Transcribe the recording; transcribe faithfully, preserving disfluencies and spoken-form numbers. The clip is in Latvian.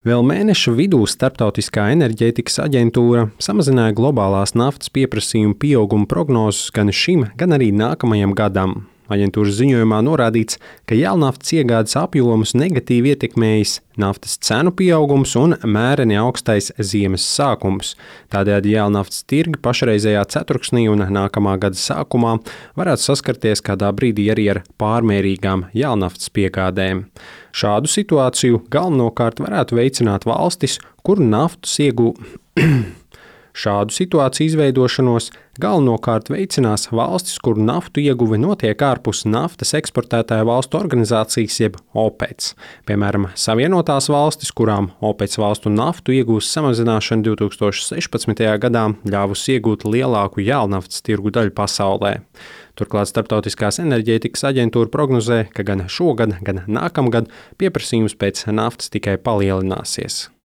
Vēl mēneša vidū Starptautiskā enerģētikas aģentūra samazināja globālās naftas pieprasījuma pieauguma prognozes gan šim, gan arī nākamajam gadam. Aģentūras ziņojumā norādīts, ka jēlnaftas iegādes apjomus negatīvi ietekmējis naftas cenu pieaugums un mēreni augstais ziemas sākums. Tādējādi jēlnaftas tirgi pašreizējā ceturksnī un nākamā gada sākumā varētu saskarties kādā brīdī arī ar pārmērīgām jēlnaftas piegādēm. Šādu situāciju galvenokārt varētu veicināt valstis, kur naftas iegū... Šādu situāciju izveidošanos galvenokārt veicinās valstis, kur naftu ieguve notiek ārpus naftas eksportētāju valstu organizācijas jeb OPEC. Piemēram, Savienotās valstis, kurām OPEC valstu naftu iegūs samazināšana divi tūkstoši sešpadsmitajā gadā ļāvusi iegūt lielāku jēlnaftas tirgu daļu pasaulē. Turklāt Starptautiskās enerģētikas aģentūra prognozē, ka gan šogad, gan nākamgad pieprasījums pēc naftas tikai palielināsies.